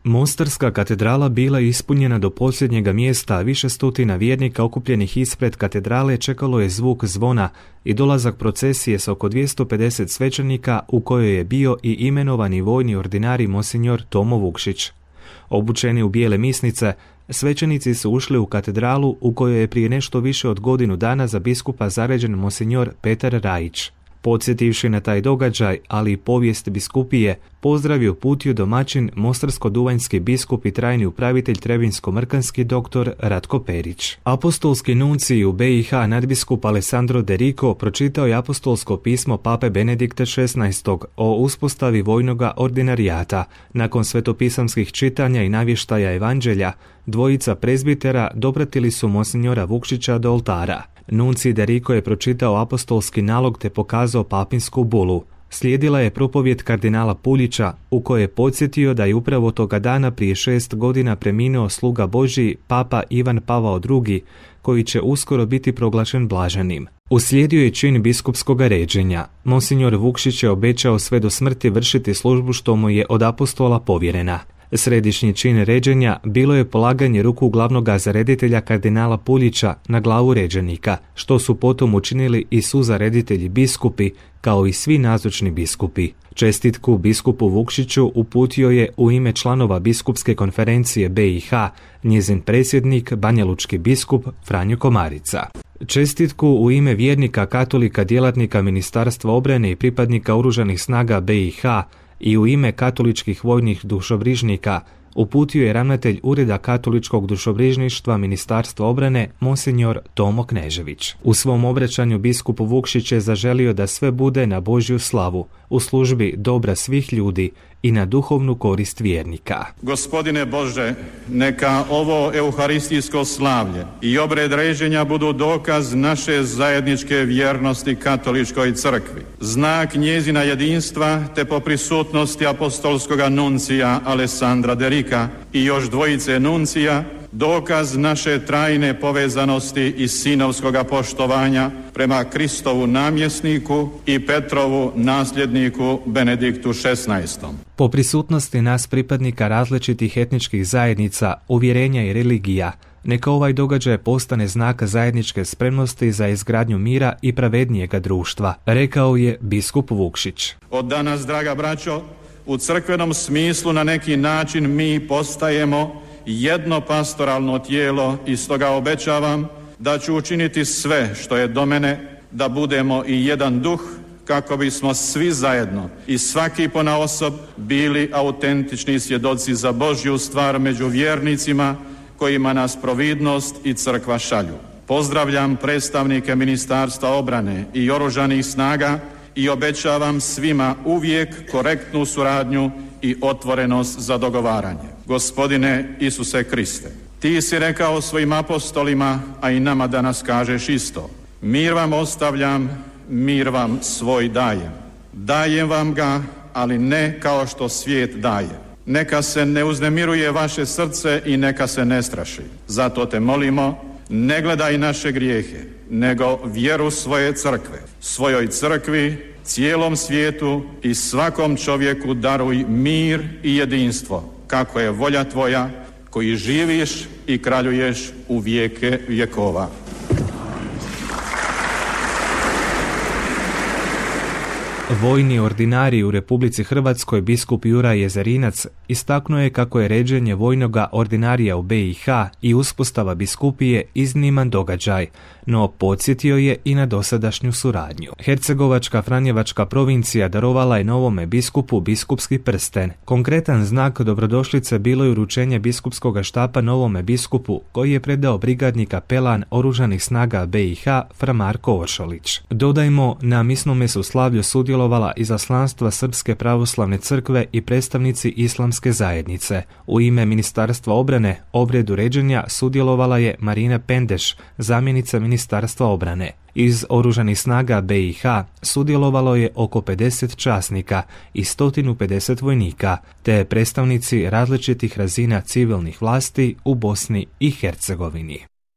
Mostarska katedrala bila je ispunjena do posljednjega mjesta, a više stotina vjernika okupljenih ispred katedrale čekalo je zvuk zvona i dolazak procesije s oko 250 svećenika u kojoj je bio i imenovani vojni ordinari monsinjor Tomo Vukšić. Obučeni u bijele misnice, svećenici su ušli u katedralu u kojoj je prije nešto više od godinu dana za biskupa zaređen monsinjor Petar Rajić. Podsjetivši na taj događaj, ali i povijest biskupije, pozdrav je uputio domaćin mostarsko-duvanjski biskup i trajni upravitelj Trebinsko-Mrkanski dr. Ratko Perić. Apostolski nuncij u BiH nadbiskup Alessandro De Rico pročitao je apostolsko pismo pape Benedikta XVI o uspostavi vojnoga ordinarijata. Nakon svetopisamskih čitanja i navještaja evanđelja, dvojica prezbitera dopratili su monsinjora Vukšića do oltara. Nuncij De Rico je pročitao apostolski nalog te pokazao papinsku bulu. Slijedila je propovjed kardinala Puljića u kojoj je podsjetio da je upravo toga dana prije 6 godina preminuo sluga Božji papa Ivan Pavao II, koji će uskoro biti proglašen blaženim. Uslijedio je čin biskupskog ređenja. Monsinjor Vukšić je obećao sve do smrti vršiti službu što mu je od apostola povjerena. Središnji čin ređenja bilo je polaganje ruku glavnog zareditelja kardinala Puljića na glavu ređenika, što su potom učinili i suzareditelji biskupi, kao i svi nazočni biskupi. Čestitku biskupu Vukšiću uputio je u ime članova biskupske konferencije BiH njezin predsjednik banjalučki biskup Franjo Komarica. Čestitku u ime vjernika katolika djelatnika Ministarstva obrane i pripadnika Oružanih snaga BiH i u ime katoličkih vojnih dušobrižnika uputio je ravnatelj Ureda katoličkog dušobrižništva Ministarstva obrane monsinjor Tomo Knežević. U svom obraćanju biskupu Vukšić je zaželio da sve bude na Božju slavu, u službi dobra svih ljudi i na duhovnu korist vjernika. Gospodine Bože, neka ovo euharistijsko slavlje i obred ređenja budu dokaz naše zajedničke vjernosti katoličkoj crkvi, znak njezina jedinstva te po prisutnosti apostolskoga nuncija Alessandra De Rica i još dvojice nuncija, dokaz naše trajne povezanosti i sinovskoga poštovanja prema Kristovu namjesniku i Petrovu nasljedniku Benediktu XVI. Po prisutnosti nas pripadnika različitih etničkih zajednica, uvjerenja i religija, neka ovaj događaj postane znak zajedničke spremnosti za izgradnju mira i pravednijega društva, rekao je biskup Vukšić. Od danas, draga braćo, u crkvenom smislu na neki način mi postajemo jedno pastoralno tijelo i stoga obećavam da ću učiniti sve što je do mene da budemo i jedan duh kako bismo svi zajedno i svaki ponaosob bili autentični svjedoci za Božju stvar među vjernicima kojima nas providnost i crkva šalju. Pozdravljam predstavnike Ministarstva obrane i Oružanih snaga i obećavam svima uvijek korektnu suradnju i otvorenost za dogovaranje. Gospodine Isuse Kriste, ti si rekao svojim apostolima, a i nama danas kažeš isto. Mir vam ostavljam, mir vam svoj dajem. Dajem vam ga, ali ne kao što svijet daje. Neka se ne uznemiruje vaše srce i neka se ne straši. Zato te molimo, ne gledaj naše grijehe, nego vjeru svoje crkve. Svojoj crkvi, cijelom svijetu i svakom čovjeku daruj mir i jedinstvo, kako je volja tvoja, koji živiš i kraljuješ u vijeke vjekova. Vojni ordinarij u Republici Hrvatskoj biskup Juraj Jezerinac istaknuo je kako je ređenje vojnoga ordinarija u BiH i uspostava biskupije izniman događaj, no podsjetio je i na dosadašnju suradnju. Hercegovačka Franjevačka provincija darovala je novome biskupu biskupski prsten. Konkretan znak dobrodošlice bilo je uručenje biskupskog štapa novome biskupu koji je predao brigadni kapelan Oružanih snaga BiH Fra Marko Oršolić. Dodajmo, na misnome su slavlju sudjelovala izaslanstva Srpske pravoslavne crkve i predstavnici islamske zajednice. U ime Ministarstva obrane obredu ređenja sudjelovala je Marina Pendeš, zamjenica Ministarstva obrane. Iz Oružanih snaga BiH sudjelovalo je oko 50 časnika i 150 vojnika, te predstavnici različitih razina civilnih vlasti u Bosni i Hercegovini.